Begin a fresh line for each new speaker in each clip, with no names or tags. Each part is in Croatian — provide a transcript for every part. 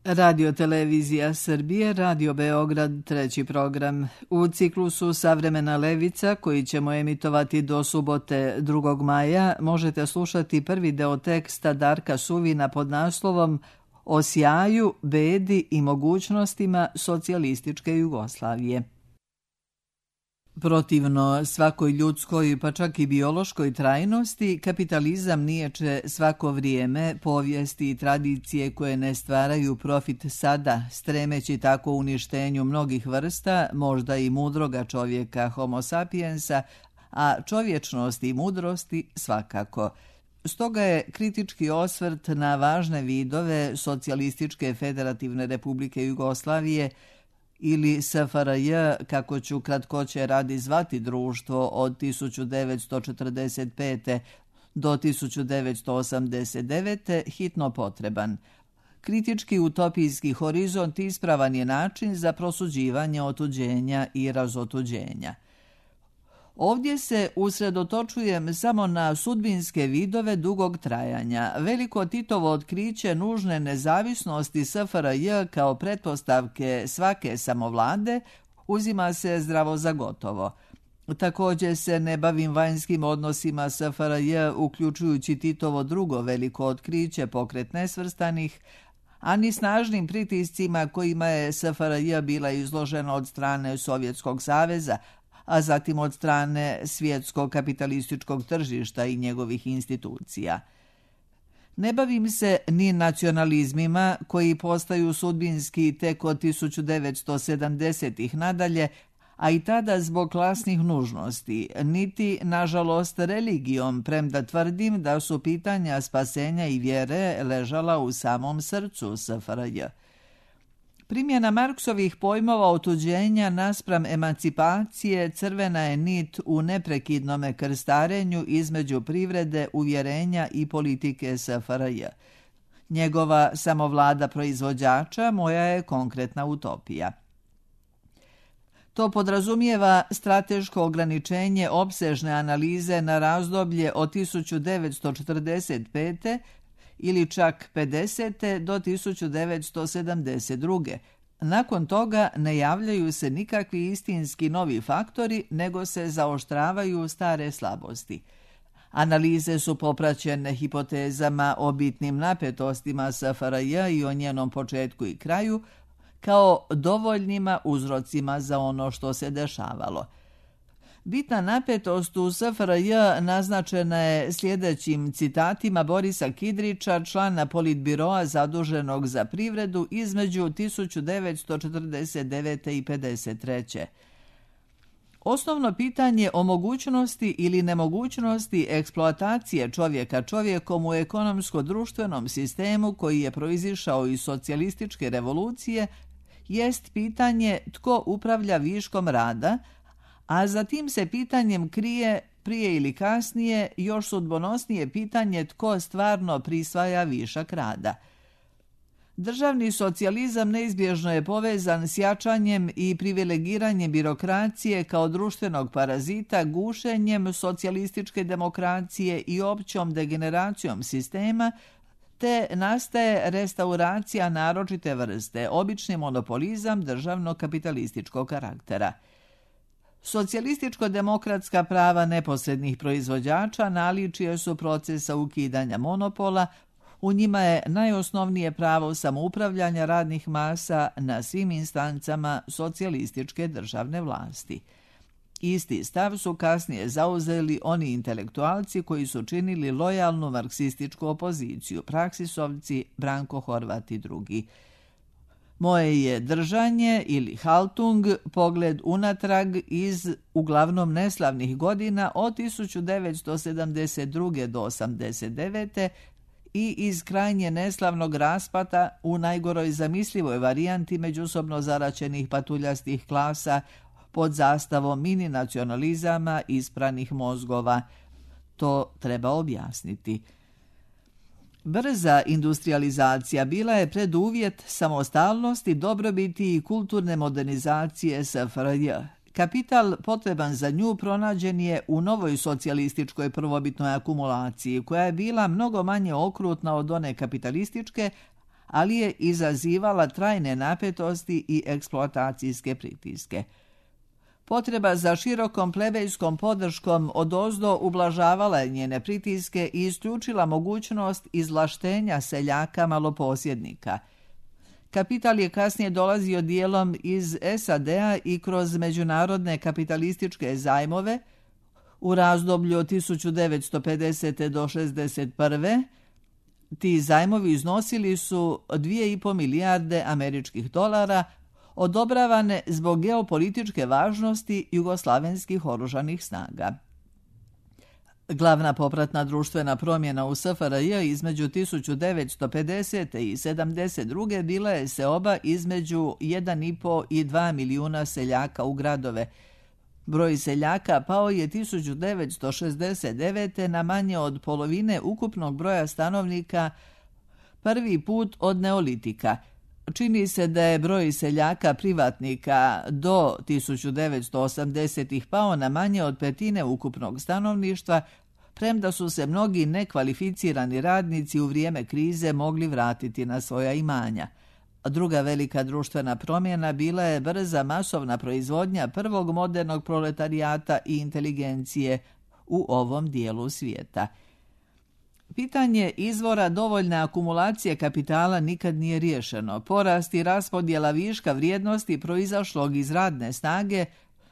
Radio Televizija Srbije, Radio Beograd, treći program. U ciklusu Savremena levica, koji ćemo emitovati do subote 2. maja, možete slušati prvi deo teksta Darka Suvina pod naslovom O sjaju, bedi i mogućnostima socijalističke Jugoslavije. Protivno svakoj ljudskoj, pa čak i biološkoj trajnosti, kapitalizam niječe svako vrijeme, povijesti i tradicije koje ne stvaraju profit sada, stremeći tako uništenju mnogih vrsta, možda i mudroga čovjeka homo sapiensa, a čovječnosti i mudrosti svakako. Stoga je kritički osvrt na važne vidove Socijalističke federativne republike Jugoslavije ili SFRJ, kako ću kratkoće radi zvati društvo od 1945. do 1989. hitno potreban. Kritički utopijski horizont ispravan je način za prosuđivanje otuđenja i razotuđenja. Ovdje se usredotočujem samo na sudbinske vidove dugog trajanja. Veliko Titovo otkriće nužne nezavisnosti SFRJ kao pretpostavke svake samovlade uzima se zdravo za gotovo. Također se ne bavim vanjskim odnosima SFRJ, uključujući Titovo drugo veliko otkriće, pokret nesvrstanih, ani snažnim pritiscima kojima je SFRJ bila izložena od strane Sovjetskog saveza, a zatim od strane svjetskog kapitalističkog tržišta i njegovih institucija. Ne bavim se ni nacionalizmima koji postaju sudbinski tek od 1970-ih nadalje, a i tada zbog klasnih nužnosti, niti, nažalost, religijom, premda tvrdim da su pitanja spasenja i vjere ležala u samom srcu SFRJ. Primjena Marksovih pojmova otuđenja naspram emancipacije crvena je nit u neprekidnome krstarenju između privrede, uvjerenja i politike SFRJ. Njegova samovlada proizvođača moja je konkretna utopija. To podrazumijeva strateško ograničenje opsežne analize na razdoblje od 1945. ili čak 50. do 1972. Nakon toga ne javljaju se nikakvi istinski novi faktori, nego se zaoštravaju stare slabosti. Analize su popraćene hipotezama o bitnim napetostima SFRJ i o njenom početku i kraju, kao dovoljnima uzrocima za ono što se dešavalo. Bitna napetost u SFRJ naznačena je sljedećim citatima Borisa Kidrića, člana Politbiroa zaduženog za privredu između 1949. i 1953. Osnovno pitanje o mogućnosti ili nemogućnosti eksploatacije čovjeka čovjekom u ekonomsko-društvenom sistemu koji je proizišao iz socijalističke revolucije jest pitanje tko upravlja viškom rada, a zatim se pitanjem krije, prije ili kasnije, još sudbonosnije pitanje tko stvarno prisvaja višak rada. Državni socijalizam neizbježno je povezan s jačanjem i privilegiranjem birokracije kao društvenog parazita, gušenjem socijalističke demokracije i općom degeneracijom sistema, te nastaje restauracija naročite vrste, obični monopolizam državno-kapitalističkog karaktera. Socijalističko-demokratska prava neposrednih proizvođača naličije su procesa ukidanja monopola, u njima je najosnovnije pravo samoupravljanja radnih masa na svim instancama socijalističke državne vlasti. Isti stav su kasnije zauzeli oni intelektualci koji su činili lojalnu marksističku opoziciju, praksisovci Branko Horvat i drugi. Moje je držanje ili haltung pogled unatrag iz uglavnom neslavnih godina od 1972. do 1989. i iz krajnje neslavnog raspata u najgoroj zamislivoj varijanti međusobno zaraćenih patuljastih klasa pod zastavom mini nacionalizama ispranih mozgova. To treba objasniti. Brza industrializacija bila je preduvjet samostalnosti, dobrobiti i kulturne modernizacije SFRJ. Kapital potreban za nju pronađen je u novoj socijalističkoj prvobitnoj akumulaciji, koja je bila mnogo manje okrutna od one kapitalističke, ali je izazivala trajne napetosti i eksploatacijske pritiske. Potreba za širokom plebejskom podrškom odozdo ublažavala je njene pritiske i isključila mogućnost izvlaštenja seljaka maloposjednika. Kapital je kasnije dolazio dijelom iz SAD-a i kroz međunarodne kapitalističke zajmove u razdoblju od 1950. do 1961. Ti zajmovi iznosili su 2,5 milijarde američkih dolara, odobravane zbog geopolitičke važnosti jugoslavenskih oružanih snaga. Glavna popratna društvena promjena u SFRJ između 1950. i 1972. bila je seoba između 1,5 i 2 milijuna seljaka u gradove. Broj seljaka pao je 1969. na manje od polovine ukupnog broja stanovnika prvi put od neolitika. Čini se da je broj seljaka privatnika do 1980-ih pao na manje od petine ukupnog stanovništva, premda su se mnogi nekvalificirani radnici u vrijeme krize mogli vratiti na svoja imanja. Druga velika društvena promjena bila je brza masovna proizvodnja prvog modernog proletarijata i inteligencije u ovom dijelu svijeta. Pitanje izvora dovoljne akumulacije kapitala nikad nije riješeno. Porast i raspodjela viška vrijednosti proizašlog iz radne snage,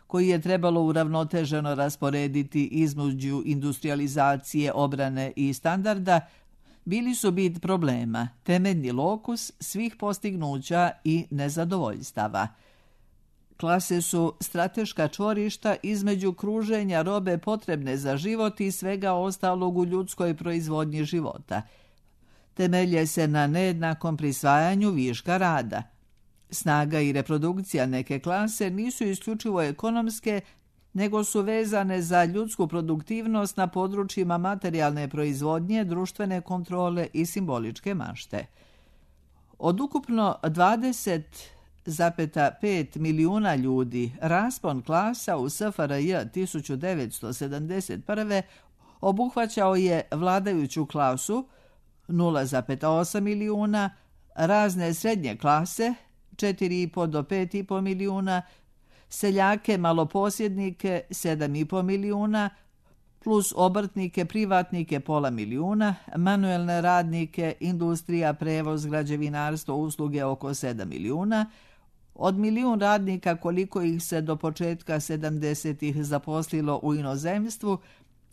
koji je trebalo uravnoteženo rasporediti između industrializacije, obrane i standarda, bili su bit problema, temeljni lokus svih postignuća i nezadovoljstava. Klase su strateška čvorišta između kruženja robe potrebne za život i svega ostalog u ljudskoj proizvodnji života. Temelje se na nejednakom prisvajanju viška rada. Snaga i reprodukcija neke klase nisu isključivo ekonomske, nego su vezane za ljudsku produktivnost na područjima materijalne proizvodnje, društvene kontrole i simboličke mašte. Od ukupno 20,5 milijuna ljudi, raspon klasa u SFRJ 1971. obuhvaćao je vladajuću klasu 0,8 milijuna, razne srednje klase 4,5 do 5,5 milijuna, seljake, maloposjednike 7,5 milijuna, plus obrtnike, privatnike 0,5 milijuna, manuelne radnike, industrija, prevoz, građevinarstvo, usluge oko 7 milijuna, od milijun radnika koliko ih se do početka 70-ih zaposlilo u inozemstvu,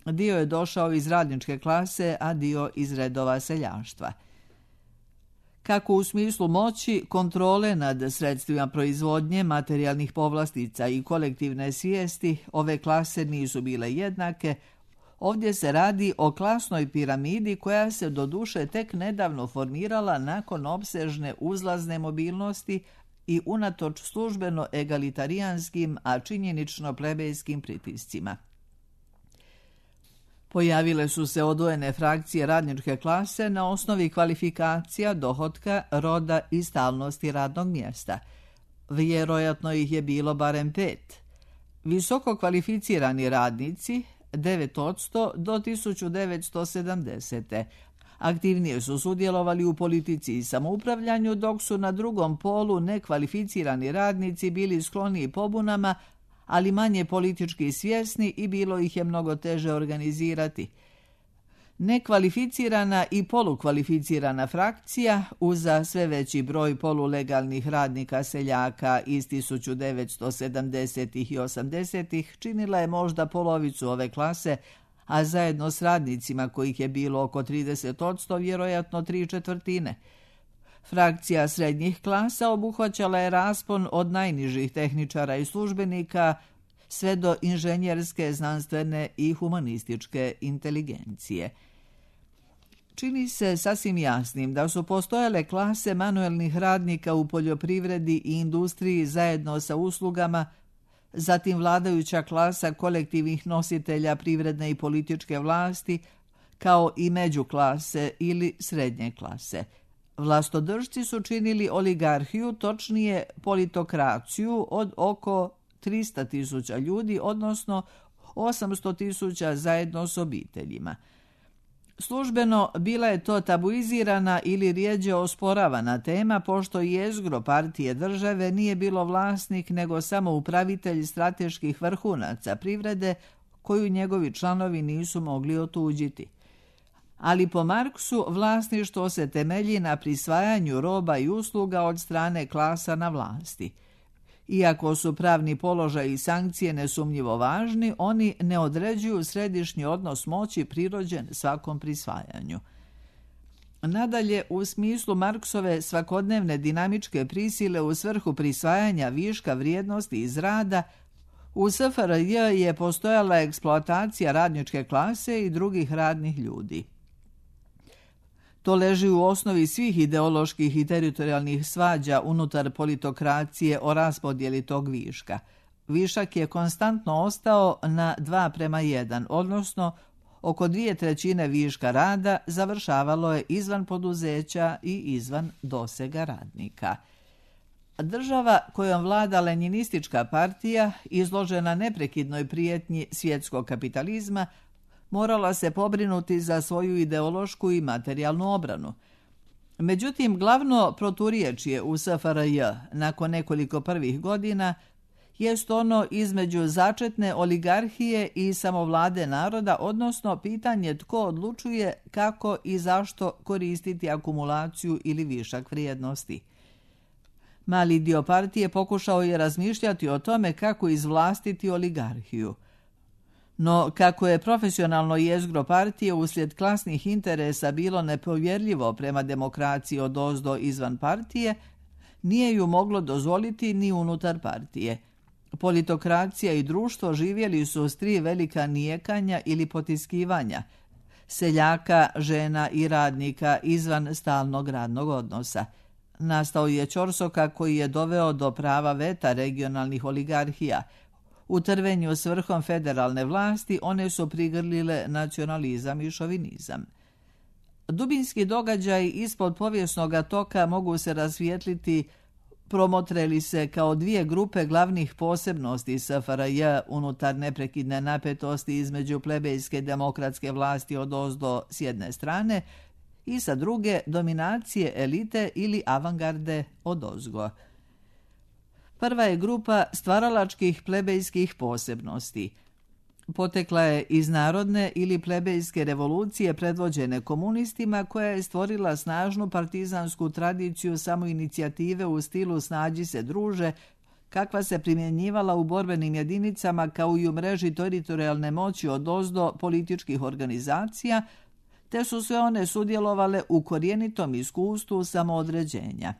dio je došao iz radničke klase, a dio iz redova seljaštva. Kako u smislu moći, kontrole nad sredstvima proizvodnje, materijalnih povlastica i kolektivne svijesti, ove klase nisu bile jednake. Ovdje se radi o klasnoj piramidi koja se doduše tek nedavno formirala nakon opsežne uzlazne mobilnosti i unatoč službeno egalitarijanskim, a činjenično plebejskim pritiscima. Pojavile su se odvojene frakcije radničke klase na osnovi kvalifikacija, dohotka, roda i stalnosti radnog mjesta. Vjerojatno ih je bilo barem 5. Visoko kvalificirani radnici 9% do 1970. Aktivnije su sudjelovali u politici i samoupravljanju, dok su na drugom polu nekvalificirani radnici bili skloniji pobunama, ali manje politički svjesni i bilo ih je mnogo teže organizirati. Nekvalificirana i polukvalificirana frakcija, uza sve veći broj polulegalnih radnika seljaka iz 1970-ih i 80-ih, činila je možda polovicu ove klase, a zajedno s radnicima kojih je bilo oko 30%, vjerojatno 3/4. Frakcija srednjih klasa obuhvaćala je raspon od najnižih tehničara i službenika sve do inženjerske, znanstvene i humanističke inteligencije. Čini se sasvim jasnim da su postojale klase manuelnih radnika u poljoprivredi i industriji zajedno sa uslugama, zatim vladajuća klasa kolektivnih nositelja privredne i političke vlasti, kao i međuklase ili srednje klase. Vlastodržci su činili oligarhiju, točnije politokraciju od oko 300.000 ljudi, odnosno 800.000 zajedno s obiteljima. Službeno bila je to tabuizirana ili rijeđe osporavana tema, pošto jezgro partije države nije bilo vlasnik nego samo upravitelj strateških vrhunaca privrede koju njegovi članovi nisu mogli otuđiti. Ali po Marksu vlasništvo se temelji na prisvajanju roba i usluga od strane klasa na vlasti. Iako su pravni položaj i sankcije nesumnjivo važni, oni ne određuju središnji odnos moći prirođen svakom prisvajanju. Nadalje, u smislu Marksove svakodnevne dinamičke prisile u svrhu prisvajanja viška vrijednosti iz rada, u SFRJ je postojala eksploatacija radničke klase i drugih radnih ljudi. To leži u osnovi svih ideoloških i teritorijalnih svađa unutar politokracije o raspodjeli tog viška. Višak je konstantno ostao na 2:1, odnosno oko 2/3 viška rada završavalo je izvan poduzeća i izvan dosega radnika. Država kojom vlada lenjinistička partija, izložena neprekidnoj prijetnji svjetskog kapitalizma, morala se pobrinuti za svoju ideološku i materijalnu obranu. Međutim, glavno proturječje u SFRJ nakon nekoliko prvih godina jest ono između začetne oligarhije i samovlade naroda, odnosno pitanje tko odlučuje kako i zašto koristiti akumulaciju ili višak vrijednosti. Mali dio partije pokušao je razmišljati o tome kako izvlastiti oligarhiju. No, kako je profesionalno jezgro partije uslijed klasnih interesa bilo nepovjerljivo prema demokraciji odozdo izvan partije, nije ju moglo dozvoliti ni unutar partije. Politokracija i društvo živjeli su s 3 velika nijekanja ili potiskivanja, seljaka, žena i radnika izvan stalnog radnog odnosa. Nastao je ćorsokak koji je doveo do prava veta regionalnih oligarhija. U trvenju s vrhom federalne vlasti one su prigrlile nacionalizam i šovinizam. Dubinski događaji ispod povijesnog toka mogu se rasvijetliti promotreli se kao 2 grupe glavnih posebnosti SFRJ unutar neprekidne napetosti između plebejske demokratske vlasti odozdo s jedne strane i sa druge dominacije elite ili avangarde odozgo. Prva je grupa stvaralačkih plebejskih posebnosti. Potekla je iz narodne ili plebejske revolucije predvođene komunistima koja je stvorila snažnu partizansku tradiciju samoinicijative u stilu snađi se druže, kakva se primjenjivala u borbenim jedinicama kao i u mreži teritorijalne moći odozdo političkih organizacija, te su sve one sudjelovale u korijenitom iskustvu samoodređenja.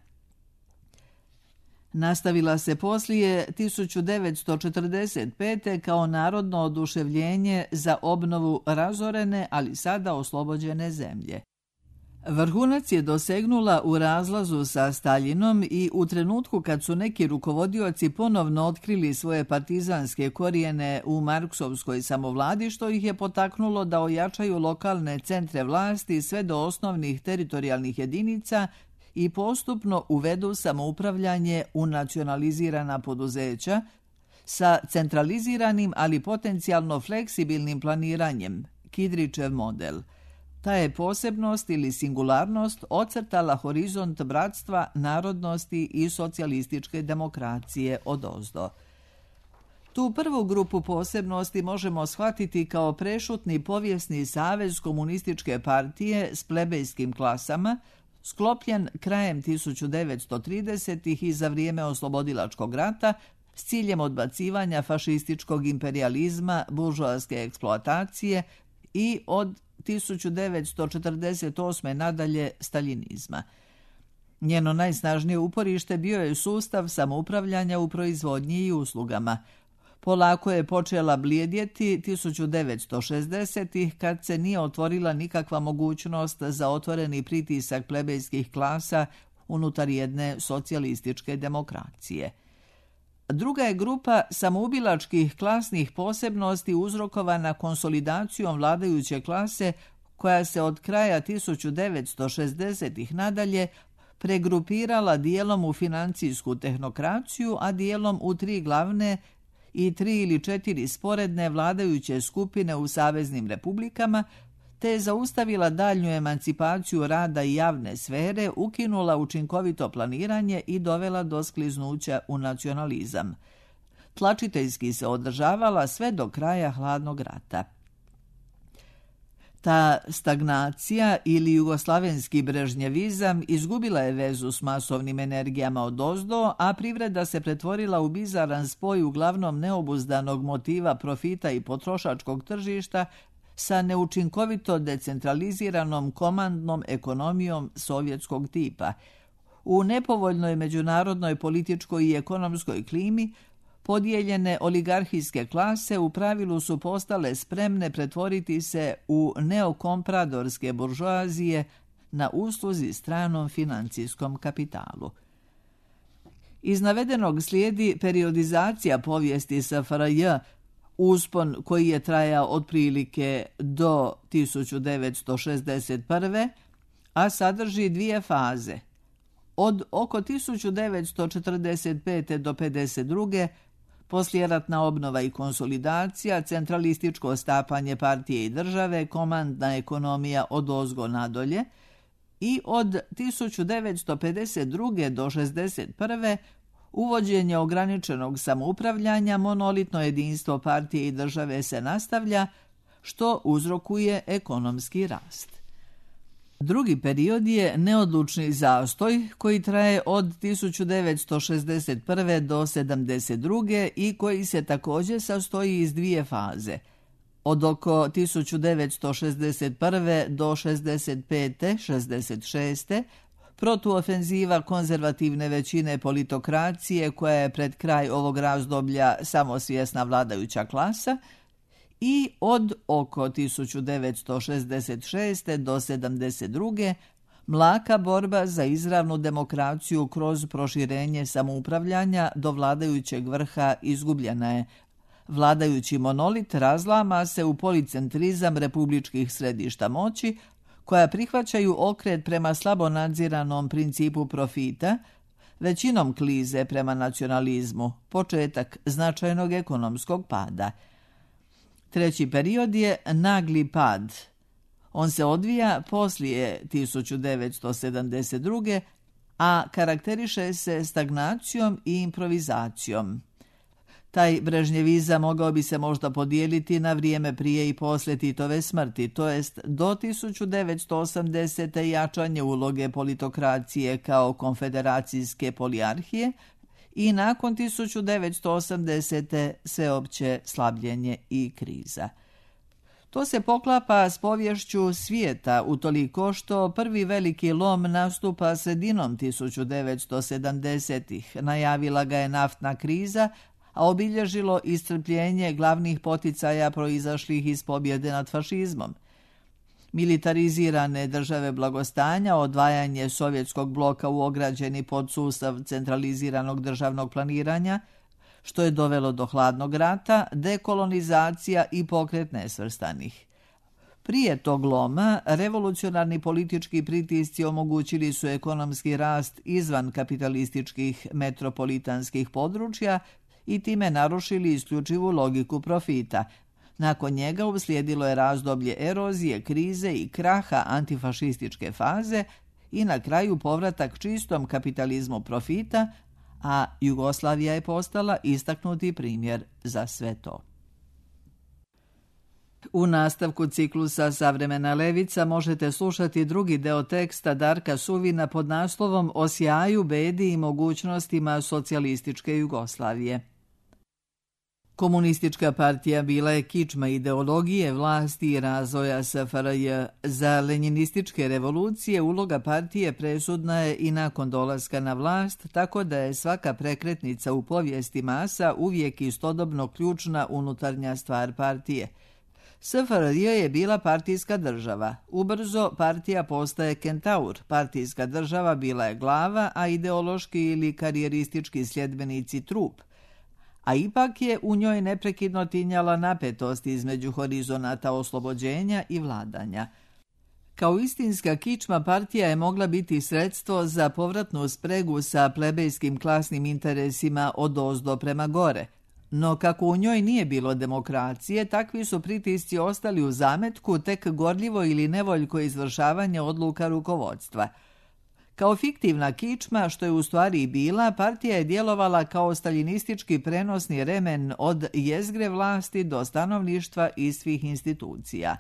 Nastavila se poslije 1945. kao narodno oduševljenje za obnovu razorene, ali sada oslobođene zemlje. Vrhunac je dosegnula u razlazu sa Staljinom i u trenutku kad su neki rukovodioci ponovno otkrili svoje partizanske korijene u marksovskoj samovladi, što ih je potaknulo da ojačaju lokalne centre vlasti sve do osnovnih teritorijalnih jedinica i postupno uvedu samoupravljanje u nacionalizirana poduzeća sa centraliziranim, ali potencijalno fleksibilnim planiranjem, Kidričev model. Ta je posebnost ili singularnost ocrtala horizont bratstva, narodnosti i socijalističke demokracije odozdo. Tu prvu grupu posebnosti možemo shvatiti kao prešutni povijesni savez komunističke partije s plebejskim klasama, sklopljen krajem 1930-ih i za vrijeme oslobodilačkog rata s ciljem odbacivanja fašističkog imperijalizma, buržoaske eksploatacije i od 1948. nadalje staljinizma. Njeno najsnažnije uporište bio je sustav samoupravljanja u proizvodnji i uslugama. Polako je počela blijedjeti 1960-ih kad se nije otvorila nikakva mogućnost za otvoreni pritisak plebejskih klasa unutar jedne socijalističke demokracije. Druga je grupa samoubilačkih klasnih posebnosti uzrokovana konsolidacijom vladajuće klase koja se od kraja 1960-ih nadalje pregrupirala dijelom u financijsku tehnokraciju, a dijelom u 3 glavne i 3 ili 4 sporedne vladajuće skupine u saveznim republikama, te je zaustavila daljnju emancipaciju rada i javne sfere, ukinula učinkovito planiranje i dovela do skliznuća u nacionalizam. Tlačiteljski se održavala sve do kraja hladnog rata. Ta stagnacija ili jugoslavenski brežnjevizam izgubila je vezu s masovnim energijama odozdo, a privreda se pretvorila u bizaran spoj uglavnom neobuzdanog motiva profita i potrošačkog tržišta sa neučinkovito decentraliziranom komandnom ekonomijom sovjetskog tipa. U nepovoljnoj međunarodnoj političkoj i ekonomskoj klimi podijeljene oligarhijske klase u pravilu su postale spremne pretvoriti se u neokompradorske buržoazije na usluzi stranom financijskom kapitalu. Iz navedenog slijedi periodizacija povijesti SFRJ, uspon koji je trajao otprilike do 1961. a sadrži dvije faze. Od oko 1945. do 1952. poslijeratna obnova i konsolidacija, centralističko stapanje partije i države, komandna ekonomija odozgo nadolje i od 1952. do 1961. uvođenje ograničenog samoupravljanja, monolitno jedinstvo partije i države se nastavlja, što uzrokuje ekonomski rast. Drugi period je neodlučni zastoj koji traje od 1961. do 1972. i koji se također sastoji iz dvije faze. Od oko 1961. do 65. 66. protuofenziva konzervativne većine politokracije koja je pred kraj ovog razdoblja samosvjesna vladajuća klasa i od oko 1966. do 1972. mlaka borba za izravnu demokraciju kroz proširenje samoupravljanja do vladajućeg vrha izgubljena je. Vladajući monolit razlama se u policentrizam republičkih središta moći, koja prihvaćaju okret prema slabo nadziranom principu profita, većinom klize prema nacionalizmu, početak značajnog ekonomskog pada. Treći period je nagli pad. On se odvija poslije 1972. a karakteriše se stagnacijom i improvizacijom. Taj brežnjevizam mogao bi se možda podijeliti na vrijeme prije i poslije Titove smrti, to jest do 1980. jačanje uloge politokracije kao konfederacijske polijarhije i nakon 1980. sveopće slabljenje i kriza. To se poklapa s poviješću svijeta utoliko što prvi veliki lom nastupa sredinom 1970-ih. Najavila ga je naftna kriza, a obilježilo iscrpljenje glavnih poticaja proizašlih iz pobjede nad fašizmom. Militarizirane države blagostanja, odvajanje sovjetskog bloka u ograđeni podsustav centraliziranog državnog planiranja, što je dovelo do hladnog rata, dekolonizacija i pokret nesvrstanih. Prije tog loma, revolucionarni politički pritisci omogućili su ekonomski rast izvan kapitalističkih metropolitanskih područja i time narušili isključivu logiku profita. Nakon njega uslijedilo je razdoblje erozije, krize i kraha antifašističke faze i na kraju povratak čistom kapitalizmu profita, a Jugoslavija je postala istaknuti primjer za sve to. U nastavku ciklusa Savremena levica možete slušati drugi deo teksta Darka Suvina pod naslovom O sjaju, bedi i mogućnostima socijalističke Jugoslavije. Komunistička partija bila je kičma ideologije, vlasti i razvoja SFRJ. Za lenjinističke revolucije uloga partije presudna je i nakon dolaska na vlast, tako da je svaka prekretnica u povijesti masa uvijek istodobno ključna unutarnja stvar partije. SFRJ je bila partijska država. Ubrzo partija postaje kentaur. Partijska država bila je glava, a ideološki ili karijeristički sljedbenici trup. A ipak je u njoj neprekidno tinjala napetost između horizonata oslobođenja i vladanja. Kao istinska kičma partija je mogla biti sredstvo za povratnu spregu sa plebejskim klasnim interesima odozdo prema gore. No kako u njoj nije bilo demokracije, takvi su pritisci ostali u zametku tek gorljivo ili nevoljko izvršavanje odluka rukovodstva. Kao fiktivna kičma, što je u stvari i bila, partija je djelovala kao staljinistički prenosni remen od jezgre vlasti do stanovništva i svih institucija.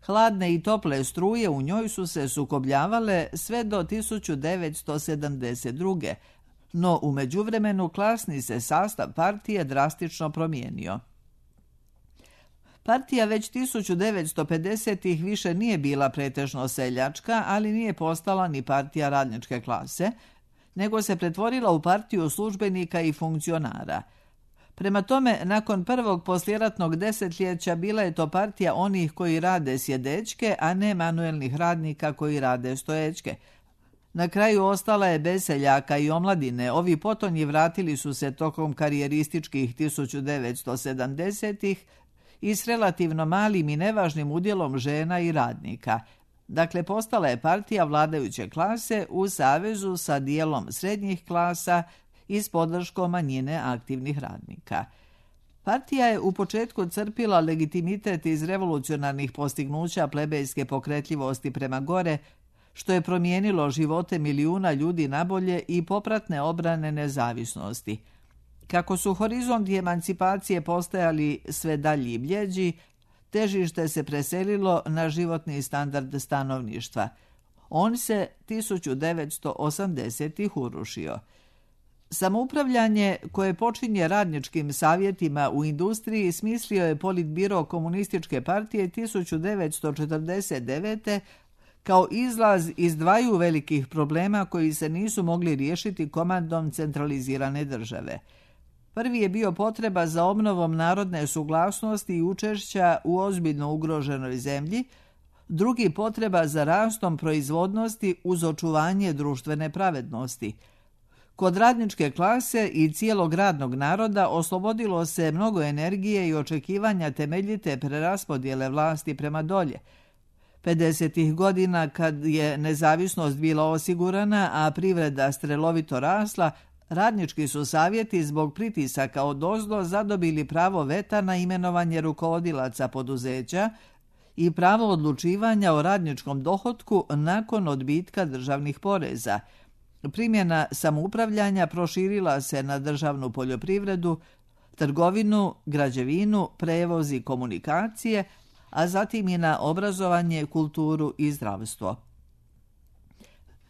Hladne i tople struje u njoj su se sukobljavale sve do 1972. No u međuvremenu klasni se sastav partije drastično promijenio. Partija već 1950-ih više nije bila pretežno seljačka, ali nije postala ni partija radničke klase, nego se pretvorila u partiju službenika i funkcionara. Prema tome, nakon prvog poslijeratnog desetljeća bila je to partija onih koji rade sjedečke, a ne manuelnih radnika koji rade stoječke. Na kraju ostala je bez seljaka i omladine. Ovi potonji vratili su se tokom karijerističkih 1970-ih i s relativno malim i nevažnim udjelom žena i radnika. Dakle, postala je partija vladajuće klase u savezu sa dijelom srednjih klasa i s podrškom manjine aktivnih radnika. Partija je u početku crpila legitimitet iz revolucionarnih postignuća plebejske pokretljivosti prema gore, što je promijenilo živote milijuna ljudi nabolje i popratne obrane nezavisnosti. Kako su horizonti emancipacije postajali sve dalji i bljeđi, težište se preselilo na životni standard stanovništva. On se 1980-ih urušio. Samoupravljanje koje počinje radničkim savjetima u industriji smislio je Politbiro komunističke partije 1949. kao izlaz iz dvaju velikih problema koji se nisu mogli riješiti komandom centralizirane države. Prvi je bio potreba za obnovom narodne suglasnosti i učešća u ozbiljno ugroženoj zemlji, drugi potreba za rastom proizvodnosti uz očuvanje društvene pravednosti. Kod radničke klase i cijelog radnog naroda oslobodilo se mnogo energije i očekivanja temeljite preraspodjele vlasti prema dolje. 50. godina, kad je nezavisnost bila osigurana, a privreda strelovito rasla, radnički su savjeti zbog pritisaka odozdo zadobili pravo veta na imenovanje rukovodilaca poduzeća i pravo odlučivanja o radničkom dohotku nakon odbitka državnih poreza. Primjena samoupravljanja proširila se na državnu poljoprivredu, trgovinu, građevinu, prevoz i komunikacije, a zatim i na obrazovanje, kulturu i zdravstvo.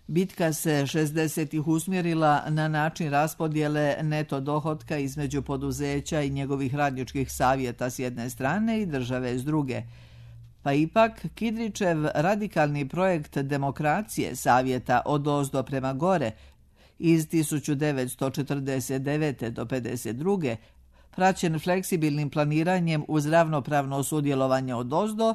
Bitka se 60-ih usmjerila na način raspodjele neto dohotka između poduzeća i njegovih radničkih savjeta s jedne strane i države s druge. Pa ipak Kidričev radikalni projekt demokracije savjeta odozdo prema gore iz 1949. do 52. praćen fleksibilnim planiranjem uz ravnopravno sudjelovanje odozdo,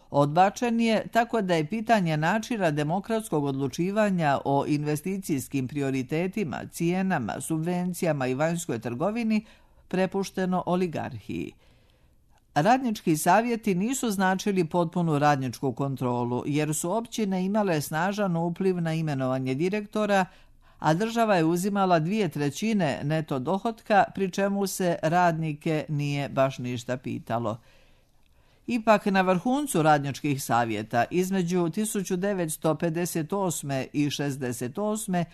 odbačen je tako da je pitanje načina demokratskog odlučivanja o investicijskim prioritetima, cijenama, subvencijama i vanjskoj trgovini prepušteno oligarhiji. Radnički savjeti nisu značili potpunu radničku kontrolu, jer su općine imale snažan upliv na imenovanje direktora, a država je uzimala 2/3 neto dohotka, pri čemu se radnike nije baš ništa pitalo. Ipak na vrhuncu radničkih savjeta između 1958. i 68.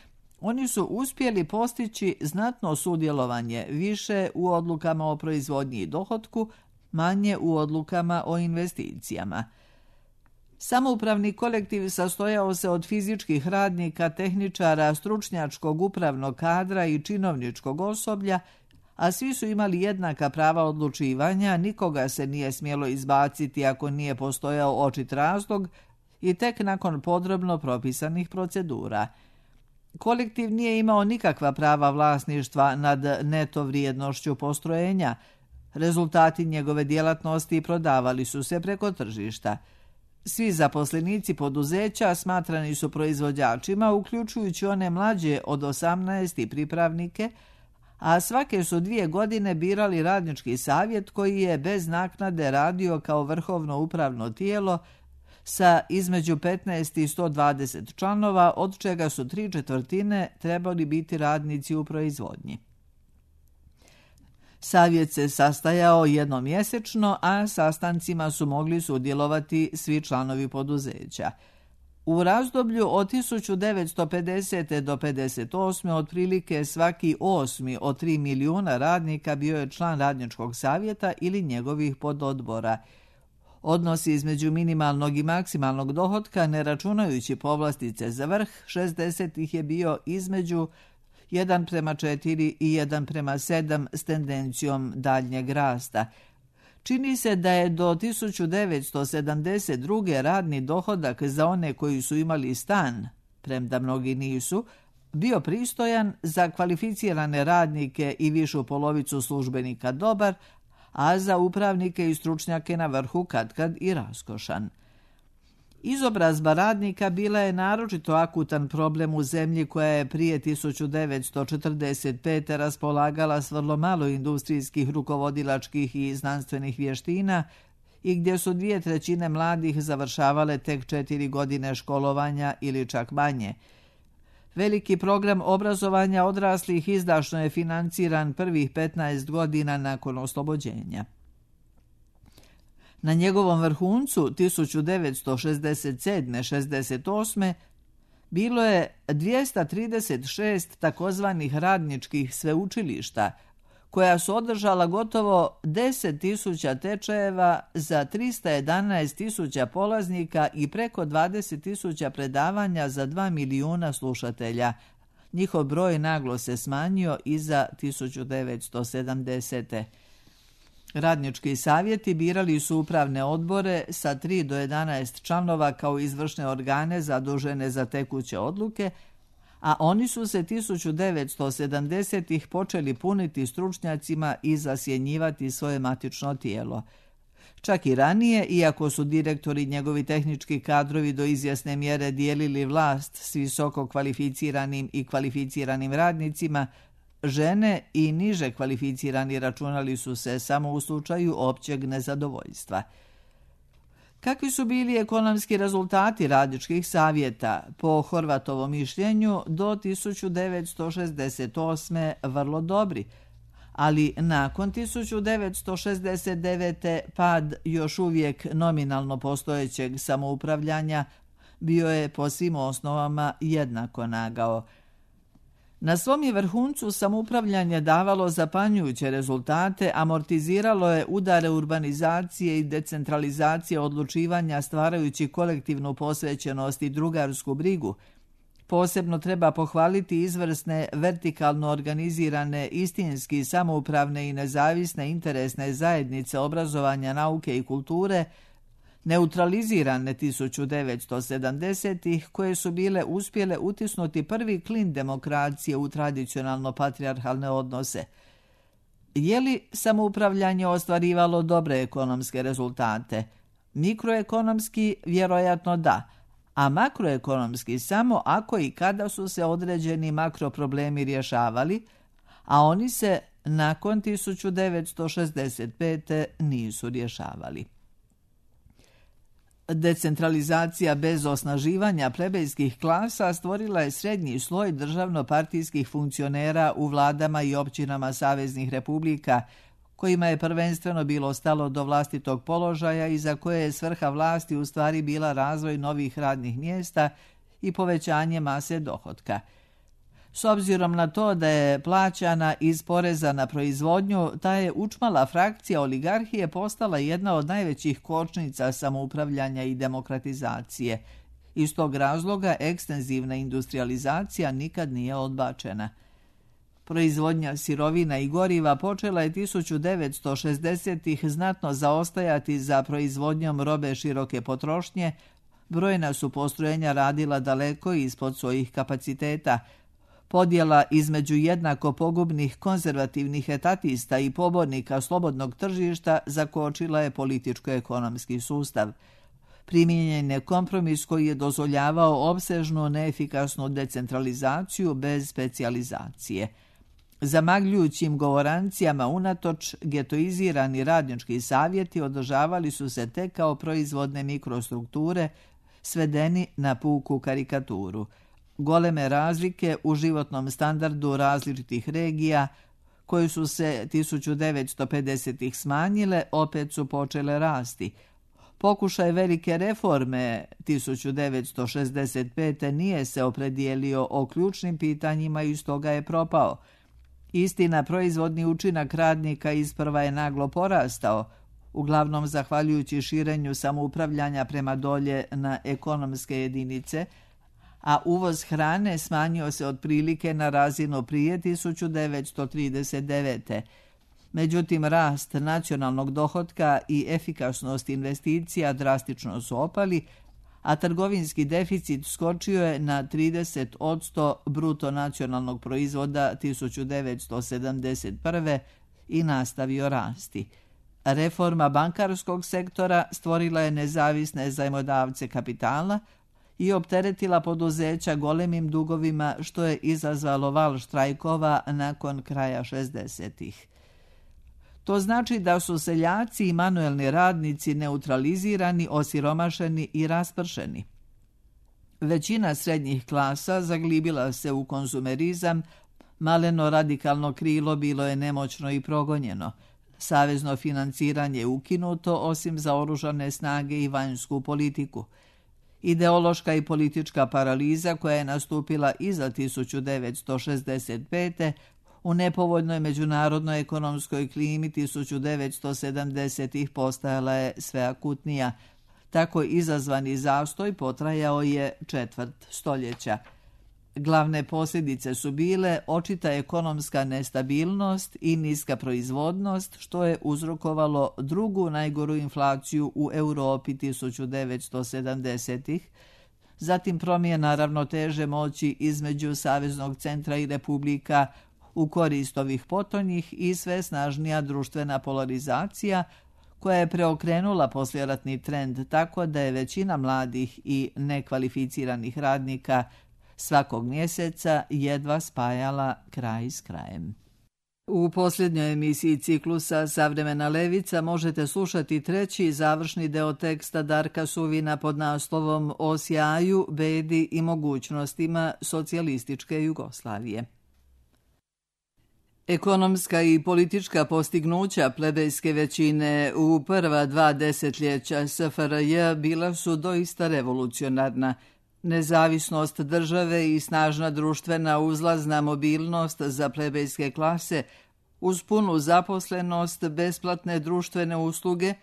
oni su uspjeli postići znatno sudjelovanje, više u odlukama o proizvodnji i dohotku, manje u odlukama o investicijama. Samoupravni kolektiv sastojao se od fizičkih radnika, tehničara, stručnjačkog upravnog kadra i činovničkog osoblja, a svi su imali jednaka prava odlučivanja, nikoga se nije smjelo izbaciti ako nije postojao očit razlog i tek nakon podrobno propisanih procedura. Kolektiv nije imao nikakva prava vlasništva nad neto vrijednošću postrojenja. Rezultati njegove djelatnosti prodavali su se preko tržišta. Svi zaposlenici poduzeća smatrani su proizvođačima, uključujući one mlađe od 18 i pripravnike, a svake su 2 godine birali radnički savjet koji je bez naknade radio kao vrhovno upravno tijelo sa između 15 i 120 članova, od čega su 3/4 trebali biti radnici u proizvodnji. Savjet se sastajao jednom mjesečno, a sastancima su mogli sudjelovati svi članovi poduzeća. U razdoblju od 1950. do 1958. otprilike svaki 8. od 3 milijuna radnika bio je član radničkog savjeta ili njegovih pododbora. Odnosi između minimalnog i maksimalnog dohotka, ne računajući povlastice za vrh, 60 ih je bio između 1:4 i 1:7 s tendencijom daljnjeg rasta. Čini se da je do 1972. radni dohodak za one koji su imali stan, premda mnogi nisu, bio pristojan, za kvalificirane radnike i višu polovicu službenika dobar, a za upravnike i stručnjake na vrhu katkad i raskošan. Izobrazba radnika bila je naročito akutan problem u zemlji koja je prije 1945. raspolagala s vrlo malo industrijskih, rukovodilačkih i znanstvenih vještina i gdje su 2/3 mladih završavale tek 4 godine školovanja ili čak manje. Veliki program obrazovanja odraslih izdašno je financiran prvih 15 godina nakon oslobođenja. Na njegovom vrhuncu 1967-68. bilo je 236 takozvanih radničkih sveučilišta, koja su održala gotovo 10.000 tečajeva za 311.000 polaznika i preko 20.000 predavanja za 2 milijuna slušatelja. Njihov broj naglo se smanjio iza 1970. Radnički savjeti birali su upravne odbore sa 3 do 11 članova kao izvršne organe zadužene za tekuće odluke, a oni su se 1970-ih počeli puniti stručnjacima i zasjenjivati svoje matično tijelo. Čak i ranije, iako su direktori i njegovi tehnički kadrovi do izvjesne mjere dijelili vlast s visoko kvalificiranim i kvalificiranim radnicima, žene i niže kvalificirani računali su se samo u slučaju općeg nezadovoljstva. Kakvi su bili ekonomski rezultati radničkih savjeta? Po Horvatovom mišljenju do 1968. vrlo dobri, ali nakon 1969. pad još uvijek nominalno postojećeg samoupravljanja bio je po svim osnovama jednako nagao. Na svom je vrhuncu samoupravljanje davalo zapanjujuće rezultate, amortiziralo je udare urbanizacije i decentralizacije odlučivanja stvarajući kolektivnu posvećenost i drugarsku brigu. Posebno treba pohvaliti izvrsne, vertikalno organizirane, istinski samoupravne i nezavisne interesne zajednice obrazovanja, nauke i kulture, neutralizirane 1970-ih, koje su bile uspjele utisnuti prvi klin demokracije u tradicionalno patrijarhalne odnose. Je li samoupravljanje ostvarivalo dobre ekonomske rezultate? Mikroekonomski vjerojatno da, a makroekonomski samo ako i kada su se određeni makroproblemi rješavali, a oni se nakon 1965. nisu rješavali. Decentralizacija bez osnaživanja plebejskih klasa stvorila je srednji sloj državno-partijskih funkcionera u vladama i općinama saveznih republika, kojima je prvenstveno bilo stalo do vlastitog položaja i za koje je svrha vlasti u stvari bila razvoj novih radnih mjesta i povećanje mase dohotka. S obzirom na to da je plaćana iz poreza na proizvodnju, ta je učmala frakcija oligarhije postala jedna od najvećih kočnica samoupravljanja i demokratizacije. Iz tog razloga ekstenzivna industrializacija nikad nije odbačena. Proizvodnja sirovina i goriva počela je 1960-ih znatno zaostajati za proizvodnjom robe široke potrošnje, brojna su postrojenja radila daleko ispod svojih kapaciteta. Podjela između jednako pogubnih konzervativnih etatista i pobornika slobodnog tržišta zakočila je političko-ekonomski sustav. Primijenjen je kompromis koji je dozvoljavao opsežnu, neefikasnu decentralizaciju bez specijalizacije. Zamagljujućim govorancijama unatoč, getoizirani radnički savjeti održavali su se tek kao proizvodne mikrostrukture, svedeni na puku karikaturu. Goleme razlike u životnom standardu različitih regija, koje su se 1950-ih smanjile, opet su počele rasti. Pokušaj velike reforme 1965. nije se opredijelio o ključnim pitanjima i stoga je propao. Istina, proizvodni učinak radnika isprva je naglo porastao, uglavnom zahvaljujući širenju samoupravljanja prema dolje na ekonomske jedinice, a uvoz hrane smanjio se otprilike na razinu prije 1939. Međutim, rast nacionalnog dohotka i efikasnost investicija drastično su opali, a trgovinski deficit skočio je na 30% bruto nacionalnog proizvoda 1971. i nastavio rasti. Reforma bankarskog sektora stvorila je nezavisne zajmodavce kapitala i opteretila poduzeća golemim dugovima, što je izazvalo val štrajkova nakon kraja 60-ih. To znači da su seljaci i manuelni radnici neutralizirani, osiromašeni i raspršeni. Većina srednjih klasa zaglibila se u konzumerizam, maleno radikalno krilo bilo je nemoćno i progonjeno. Savezno financiranje je ukinuto, osim za oružane snage i vanjsku politiku. Ideološka i politička paraliza koja je nastupila iza 1965. u nepovoljnoj međunarodnoj ekonomskoj klimi 1970-ih postajala je sve akutnija. Tako izazvani zastoj potrajao je četvrt stoljeća. Glavne posljedice su bile očita ekonomska nestabilnost i niska proizvodnost, što je uzrokovalo drugu najgoru inflaciju u Europi 1970-ih, zatim promjena ravnoteže moći između Saveznog centra i republika u korist ovih potonjih i sve snažnija društvena polarizacija koja je preokrenula poslijeratni trend tako da je većina mladih i nekvalificiranih radnika svakog mjeseca jedva spajala kraj s krajem. U posljednjoj emisiji ciklusa Savremena levica možete slušati treći završni deo teksta Darka Suvina pod naslovom O sjaju, bedi i mogućnostima socijalističke Jugoslavije. Ekonomska i politička postignuća plebejske većine u prva 2 desetljeća SFRJ bila su doista revolucionarna. Nezavisnost države i snažna društvena uzlazna mobilnost za plebejske klase uz punu zaposlenost, besplatne društvene usluge,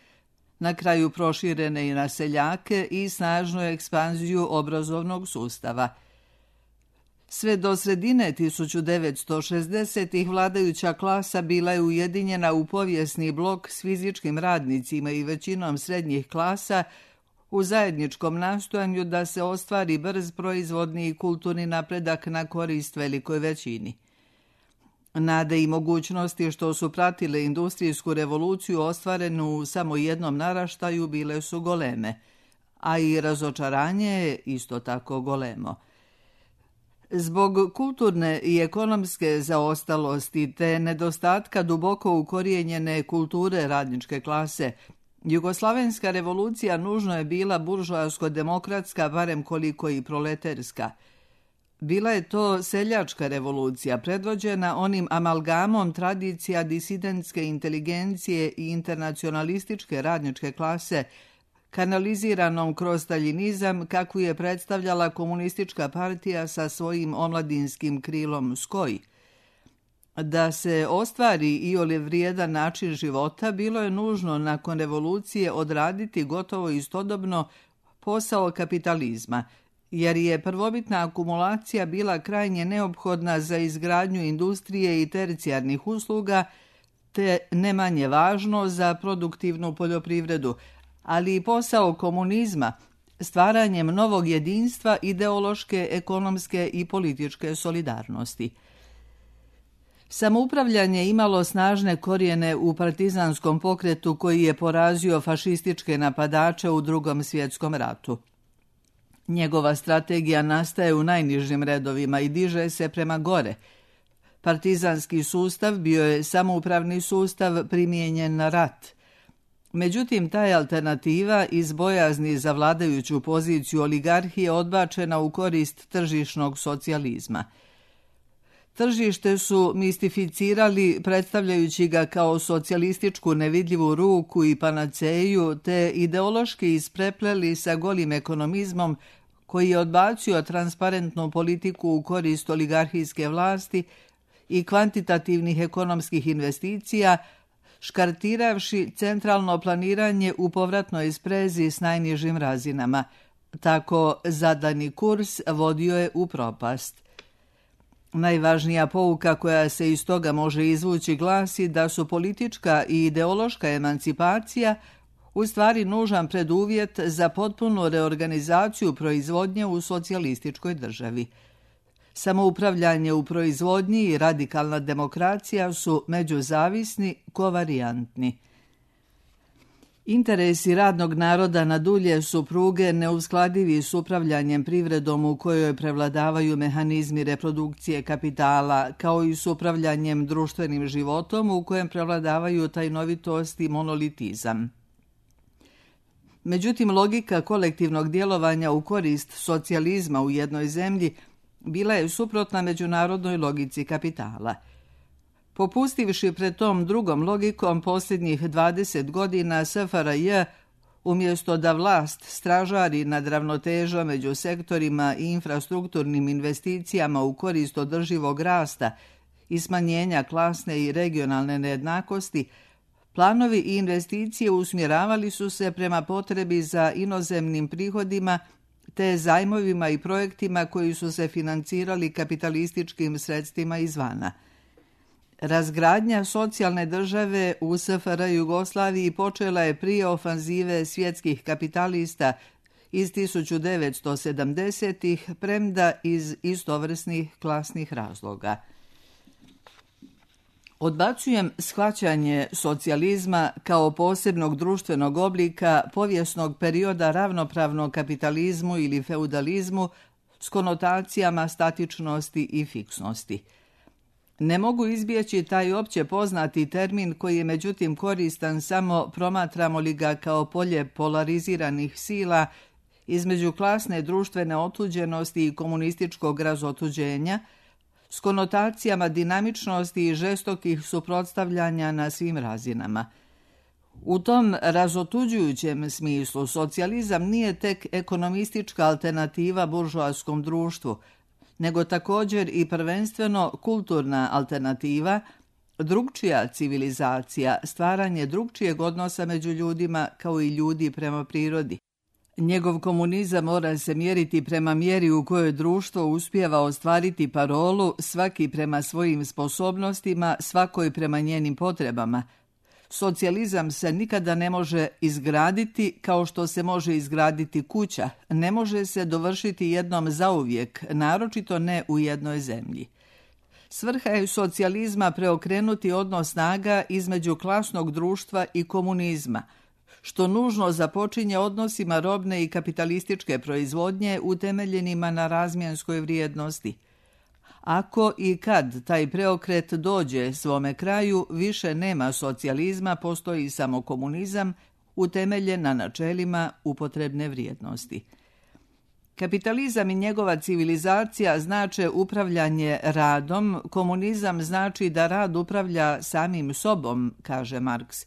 na kraju proširene i na seljake i snažnu ekspanziju obrazovnog sustava. Sve do sredine 1960-ih vladajuća klasa bila je ujedinjena u povijesni blok s fizičkim radnicima i većinom srednjih klasa u zajedničkom nastojanju da se ostvari brz proizvodni i kulturni napredak na korist velikoj većini. Nade i mogućnosti što su pratile industrijsku revoluciju ostvarenu u samo jednom naraštaju bile su goleme, a i razočaranje je isto tako golemo. Zbog kulturne i ekonomske zaostalosti te nedostatka duboko ukorijenjene kulture radničke klase, Jugoslavenska revolucija nužno je bila buržoasko-demokratska, barem koliko i proleterska. Bila je to seljačka revolucija, predvođena onim amalgamom tradicija disidentske inteligencije i internacionalističke radničke klase, kanaliziranom kroz staljinizam kakvu je predstavljala komunistička partija sa svojim omladinskim krilom SKOJ. Da se ostvari iole vrijedan način života, bilo je nužno nakon revolucije odraditi gotovo istodobno posao kapitalizma, jer je prvobitna akumulacija bila krajnje neophodna za izgradnju industrije i tercijarnih usluga, te ne manje važno za produktivnu poljoprivredu, ali i posao komunizma, stvaranjem novog jedinstva ideološke, ekonomske i političke solidarnosti. Samoupravljanje imalo snažne korijene u partizanskom pokretu koji je porazio fašističke napadače u Drugom svjetskom ratu. Njegova strategija nastaje u najnižim redovima i diže se prema gore. Partizanski sustav bio je samoupravni sustav primijenjen na rat. Međutim, ta je alternativa iz bojazni za vladajuću poziciju oligarhije odbačena u korist tržišnog socijalizma. Tržište su mistificirali predstavljajući ga kao socijalističku nevidljivu ruku i panaceju, te ideološki isprepleli sa golim ekonomizmom koji je odbacio transparentnu politiku u korist oligarhijske vlasti i kvantitativnih ekonomskih investicija, škartiravši centralno planiranje u povratnoj sprezi s najnižim razinama. Tako zadani kurs vodio je u propast. Najvažnija pouka koja se iz toga može izvući glasi da su politička i ideološka emancipacija u stvari nužan preduvjet za potpunu reorganizaciju proizvodnje u socijalističkoj državi. Samoupravljanje u proizvodnji i radikalna demokracija su međuzavisni, kovarijantni. Interesi radnog naroda na dulje su pruge neuskladivi s upravljanjem privredom u kojoj prevladavaju mehanizmi reprodukcije kapitala, kao i s upravljanjem društvenim životom u kojem prevladavaju tajnovitost i monolitizam. Međutim, logika kolektivnog djelovanja u korist socijalizma u jednoj zemlji bila je suprotna međunarodnoj logici kapitala. Popustivši pred tom drugom logikom posljednjih 20 godina SFRJ, umjesto da vlast stražari nad ravnotežom među sektorima i infrastrukturnim investicijama u korist održivog rasta i smanjenja klasne i regionalne nejednakosti, planovi i investicije usmjeravali su se prema potrebi za inozemnim prihodima te zajmovima i projektima koji su se financirali kapitalističkim sredstvima izvana. Razgradnja socijalne države u SFRJ Jugoslaviji počela je prije ofanzive svjetskih kapitalista iz 1970-ih, premda iz istovrsnih klasnih razloga. Odbacujem shvaćanje socijalizma kao posebnog društvenog oblika povijesnog perioda ravnopravnog kapitalizmu ili feudalizmu s konotacijama statičnosti i fiksnosti. Ne mogu izbjeći taj opće poznati termin koji je međutim koristan samo promatramo li ga kao polje polariziranih sila između klasne društvene otuđenosti i komunističkog razotuđenja, s konotacijama dinamičnosti i žestokih suprotstavljanja na svim razinama. U tom razotuđujućem smislu socijalizam nije tek ekonomistička alternativa buržoaskom društvu, nego također i prvenstveno kulturna alternativa, drugčija civilizacija, stvaranje drugčijeg odnosa među ljudima kao i ljudi prema prirodi. Njegov komunizam mora se mjeriti prema mjeri u kojoj društvo uspijeva ostvariti parolu svaki prema svojim sposobnostima, svakoj prema njenim potrebama. Socijalizam se nikada ne može izgraditi kao što se može izgraditi kuća, ne može se dovršiti jednom zauvijek, naročito ne u jednoj zemlji. Svrha je socijalizma preokrenuti odnos snaga između klasnog društva i komunizma, što nužno započinje odnosima robne i kapitalističke proizvodnje utemeljenima na razmjenskoj vrijednosti. Ako i kad taj preokret dođe svome kraju, više nema socijalizma, postoji samo komunizam utemeljen na načelima upotrebne vrijednosti. Kapitalizam i njegova civilizacija znače upravljanje radom, komunizam znači da rad upravlja samim sobom, kaže Marks.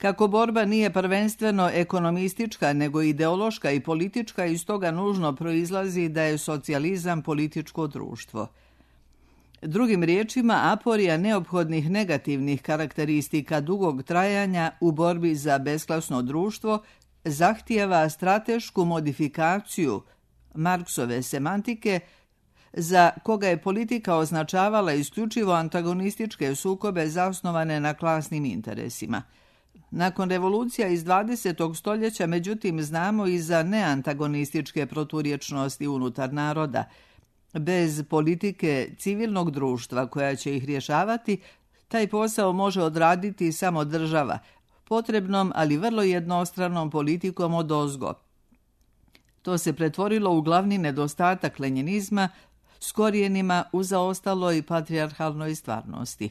Kako borba nije prvenstveno ekonomistička, nego ideološka i politička, iz toga nužno proizlazi da je socijalizam političko društvo. Drugim riječima, aporija neophodnih negativnih karakteristika dugog trajanja u borbi za besklasno društvo zahtijeva stratešku modifikaciju Marksove semantike, za koga je politika označavala isključivo antagonističke sukobe zasnovane na klasnim interesima. Nakon revolucija iz 20. stoljeća, međutim, znamo i za neantagonističke proturječnosti unutar naroda. Bez politike civilnog društva koja će ih rješavati, taj posao može odraditi samo država, potrebnom, ali vrlo jednostranom politikom odozgo. To se pretvorilo u glavni nedostatak lenjinizma s korijenima u zaostaloj patrijarhalnoj stvarnosti.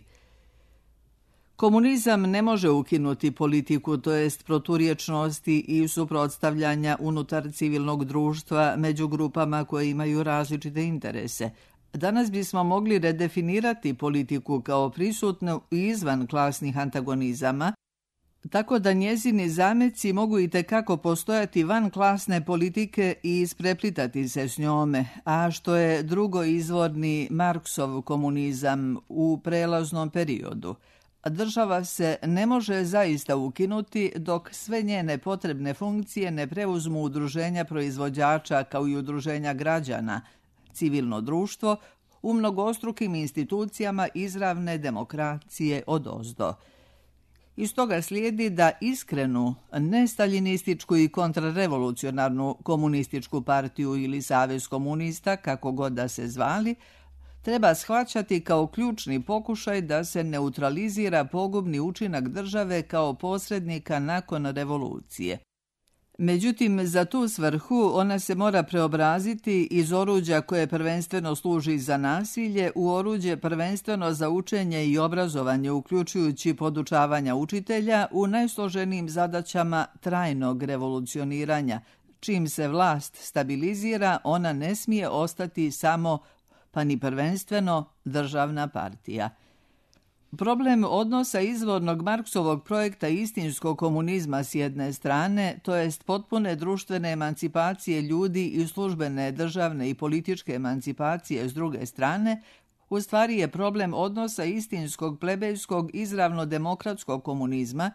Komunizam ne može ukinuti politiku, to jest proturječnosti i suprotstavljanja unutar civilnog društva među grupama koje imaju različite interese, Danas bismo mogli redefinirati politiku kao prisutnu i izvan klasnih antagonizama, tako da njezini zameci mogu itekako postojati van klasne politike i ispreplitati se s njome, a što je drugo izvorni Marksov komunizam u prelaznom periodu. Država se ne može zaista ukinuti dok sve njene potrebne funkcije ne preuzmu udruženja proizvođača kao i udruženja građana, civilno društvo, u mnogostrukim institucijama izravne demokracije odozdo. Iz toga slijedi da iskrenu, nestaljinističku i kontrarevolucionarnu komunističku partiju ili savez komunista, kako god da se zvali, treba shvaćati kao ključni pokušaj da se neutralizira pogubni učinak države kao posrednika nakon revolucije. Međutim, za tu svrhu ona se mora preobraziti iz oruđa koje prvenstveno služi za nasilje u oruđe prvenstveno za učenje i obrazovanje, uključujući podučavanja učitelja u najsloženijim zadaćama trajnog revolucioniranja. Čim se vlast stabilizira, ona ne smije ostati samo, pa ni prvenstveno, državna partija. Problem odnosa izvornog Marksovog projekta istinskog komunizma s jedne strane, to jest potpune društvene emancipacije ljudi i službene državne i političke emancipacije s druge strane, u stvari je problem odnosa istinskog plebejskog izravno demokratskog komunizma,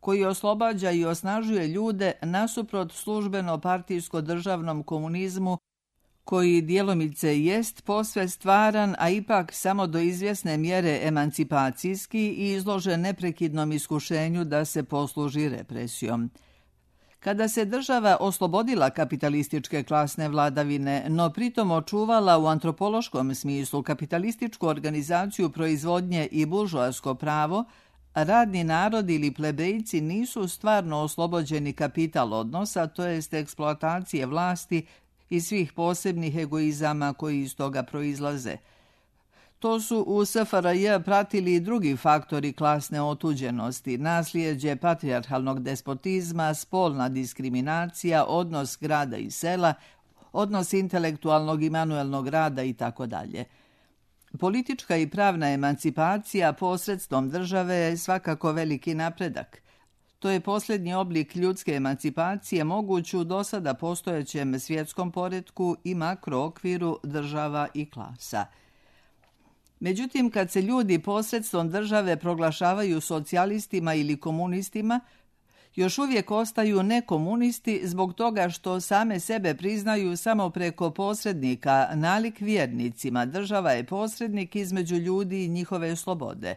koji oslobađa i osnažuje ljude nasuprot službeno partijsko državnom komunizmu, koji djelomice jest posve stvaran, a ipak samo do izvjesne mjere emancipacijski i izložen neprekidnom iskušenju da se posluži represijom. Kada se država oslobodila kapitalističke klasne vladavine, no pritom očuvala u antropološkom smislu kapitalističku organizaciju proizvodnje i buržoasko pravo, radni narod ili plebejci nisu stvarno oslobođeni kapital odnosa, to jest eksploatacije vlasti i svih posebnih egoizama koji iz toga proizlaze. To su u SFRJ pratili i drugi faktori klasne otuđenosti, naslijeđe patrijarhalnog despotizma, spolna diskriminacija, odnos grada i sela, odnos intelektualnog i manuelnog rada itd. Politička i pravna emancipacija posredstvom države je svakako veliki napredak. To je posljednji oblik ljudske emancipacije moguć u dosada postojećem svjetskom poretku i makrookviru država i klasa. Međutim, kad se ljudi posredstvom države proglašavaju socijalistima ili komunistima, još uvijek ostaju nekomunisti zbog toga što same sebe priznaju samo preko posrednika, nalik vjernicima. Država je posrednik između ljudi i njihove slobode.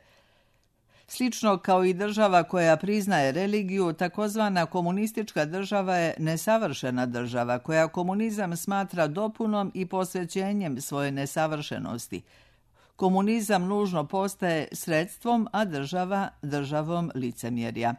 Slično kao i država koja priznaje religiju, takozvana komunistička država je nesavršena država koja komunizam smatra dopunom i posvećenjem svoje nesavršenosti. Komunizam nužno postaje sredstvom, a država državom licemjerja.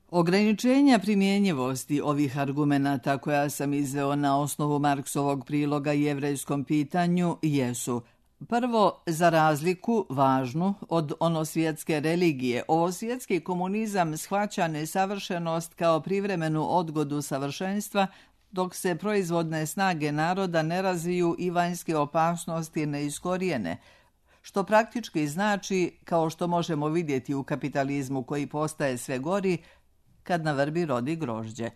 Ograničenja primjenjivosti ovih argumenata koja sam izveo na osnovu Marksovog priloga jevrejskom pitanju jesu: prvo, za razliku, važnu, od onosvjetske religije, ovosvjetski komunizam shvaća nesavršenost kao privremenu odgodu savršenstva, dok se proizvodne snage naroda ne razviju i vanjske opasnosti ne iskorijene, što praktički znači, kao što možemo vidjeti u kapitalizmu koji postaje sve gori, kad na vrbi rodi grožđe.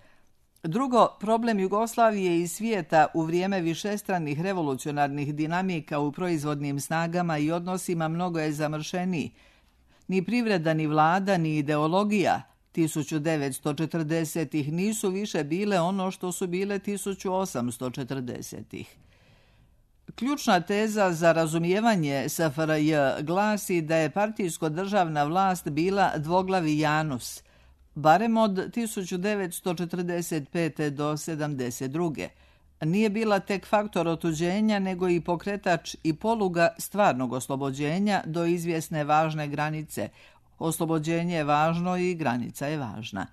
Drugo, problem Jugoslavije i svijeta u vrijeme višestranih revolucionarnih dinamika u proizvodnim snagama i odnosima mnogo je zamršeniji. Ni privreda, ni vlada, ni ideologija 1940-ih nisu više bile ono što su bile 1840-ih. Ključna teza za razumijevanje SFRJ glasi da je partijsko-državna vlast bila dvoglavi Janus, barem od 1945. do 1972. Nije bila tek faktor otuđenja, nego i pokretač i poluga stvarnog oslobođenja do izvjesne važne granice. Oslobođenje je važno i granica je važna.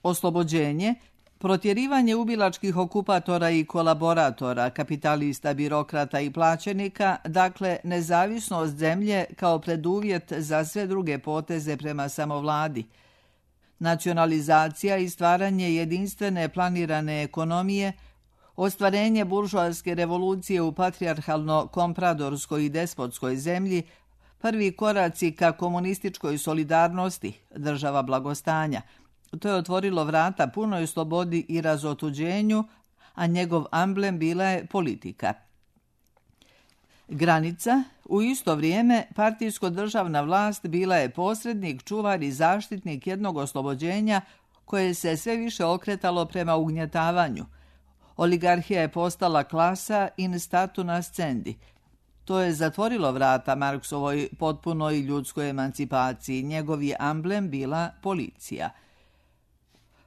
Oslobođenje, protjerivanje ubilačkih okupatora i kolaboratora, kapitalista, birokrata i plaćenika, dakle nezavisnost zemlje kao preduvjet za sve druge poteze prema samovladi. Nacionalizacija i stvaranje jedinstvene planirane ekonomije, Ostvarenje buržoaske revolucije u patrijarhalno-kompradorskoj i despotskoj zemlji, prvi koraci ka komunističkoj solidarnosti, država blagostanja. To je otvorilo vrata punoj slobodi i razotuđenju, a njegov amblem bila je politika. Granica, u isto vrijeme partijsko-državna vlast bila je posrednik, čuvar i zaštitnik jednog oslobođenja koje se sve više okretalo prema ugnjetavanju. Oligarhija je postala klasa in statu nascendi. To je zatvorilo vrata Marksovoj potpunoj ljudskoj emancipaciji. Njegov je amblem bila policija.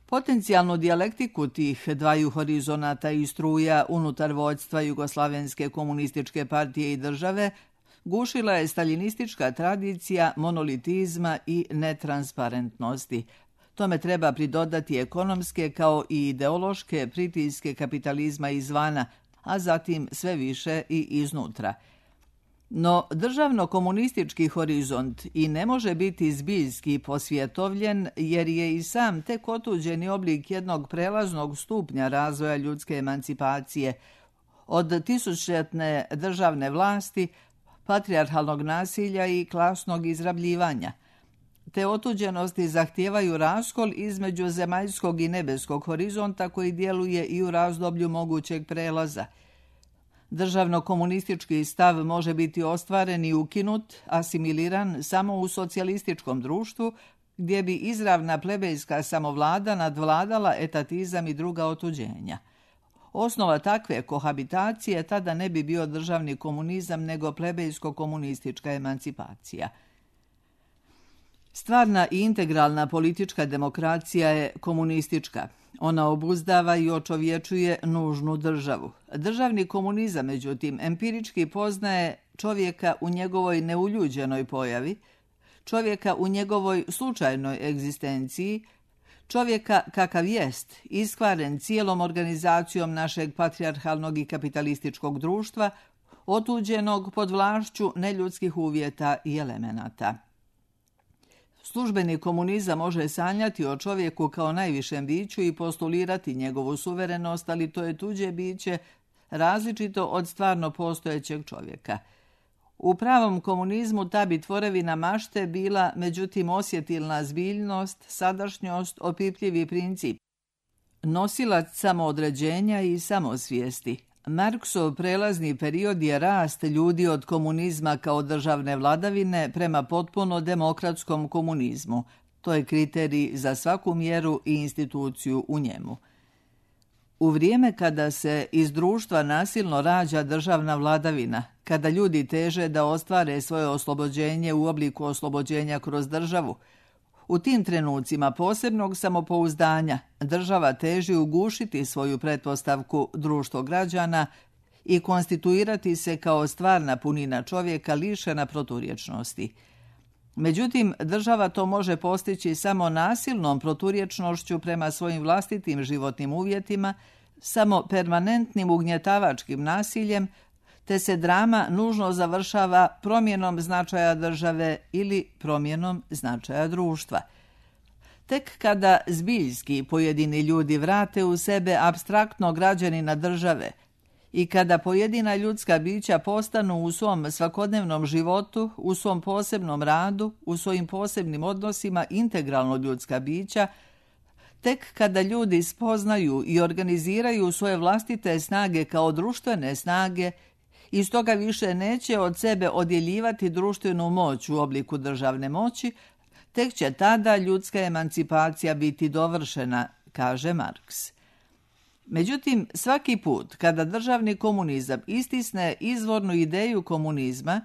Potencijalnu dijalektiku tih dvaju horizonata i struja unutar vođstva Jugoslavenske komunističke partije i države gušila je staljinistička tradicija monolitizma i netransparentnosti. Tome treba pridodati ekonomske kao i ideološke pritiske kapitalizma izvana, a zatim sve više i iznutra. No državno-komunistički horizont i ne može biti zbiljski posvjetovljen jer je i sam tek otuđeni oblik jednog prelaznog stupnja razvoja ljudske emancipacije od tisućljetne državne vlasti, patrijarhalnog nasilja i klasnog izrabljivanja. Te otuđenosti zahtijevaju raskol između zemaljskog i nebeskog horizonta koji djeluje i u razdoblju mogućeg prelaza. Državno-komunistički stav može biti ostvaren i ukinut, asimiliran samo u socijalističkom društvu, gdje bi izravna plebejska samovlada nadvladala etatizam i druga otuđenja. Osnova takve kohabitacije tada ne bi bio državni komunizam, nego plebejsko-komunistička emancipacija. Stvarna i integralna politička demokracija je komunistička. Ona obuzdava i očovječuje nužnu državu. Državni komunizam, međutim, empirički poznaje čovjeka u njegovoj neuljuđenoj pojavi, čovjeka u njegovoj slučajnoj egzistenciji, čovjeka kakav jest, iskvaren cijelom organizacijom našeg patrijarhalnog i kapitalističkog društva, otuđenog pod vlašću neljudskih uvjeta i elemenata. Službeni komunizam može sanjati o čovjeku kao najvišem biću i postulirati njegovu suverenost, ali to je tuđe biće, različito od stvarno postojećeg čovjeka. U pravom komunizmu ta bi tvorevina mašte bila, međutim, osjetilna zbiljnost, sadašnjost, opipljivi princip, nosilac samoodređenja i samosvijesti. Marksov prelazni period je rast ljudi od komunizma kao državne vladavine prema potpuno demokratskom komunizmu. To je kriterij za svaku mjeru i instituciju u njemu. U vrijeme kada se iz društva nasilno rađa državna vladavina, kada ljudi teže da ostvare svoje oslobođenje u obliku oslobođenja kroz državu, u tim trenucima posebnog samopouzdanja država teži ugušiti svoju pretpostavku društvo građana i konstituirati se kao stvarna punina čovjeka lišena proturječnosti. Međutim, država to može postići samo nasilnom proturječnošću prema svojim vlastitim životnim uvjetima, samo permanentnim ugnjetavačkim nasiljem, te se drama nužno završava promjenom značaja države ili promjenom značaja društva. Tek kada zbiljski pojedini ljudi vrate u sebe apstraktno građanina države i kada pojedina ljudska bića postanu u svom svakodnevnom životu, u svom posebnom radu, u svojim posebnim odnosima integralno ljudska bića, tek kada ljudi spoznaju i organiziraju svoje vlastite snage kao društvene snage i stoga više neće od sebe odjeljivati društvenu moć u obliku državne moći, tek će tada ljudska emancipacija biti dovršena, kaže Marks. Međutim, svaki put kada državni komunizam istisne izvornu ideju komunizma,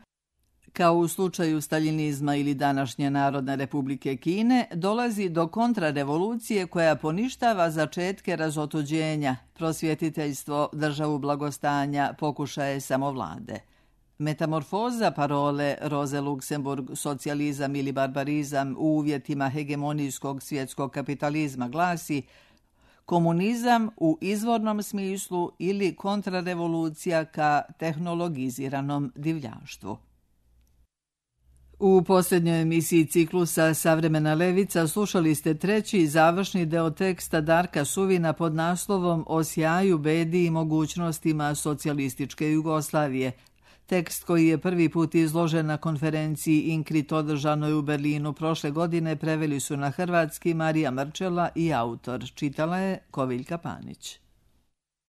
kao u slučaju staljinizma ili današnje Narodne republike Kine, dolazi do kontrarevolucije koja poništava začetke razotuđenja, prosvjetiteljstvo, državu blagostanja, pokušaje samovlade. Metamorfoza parole Roze Luxemburg, socijalizam ili barbarizam u uvjetima hegemonijskog svjetskog kapitalizma glasi: komunizam u izvornom smislu ili kontrarevolucija ka tehnologiziranom divljaštvu. U posljednjoj emisiji ciklusa Savremena levica slušali ste treći i završni deo teksta Darka Suvina pod naslovom O sjaju, bedi i mogućnostima socijalističke Jugoslavije. Tekst koji je prvi put izložen na konferenciji INCRIT održanoj u Berlinu prošle godine preveli su na hrvatski Marija Mrčela i autor. Čitala je Koviljka Panić.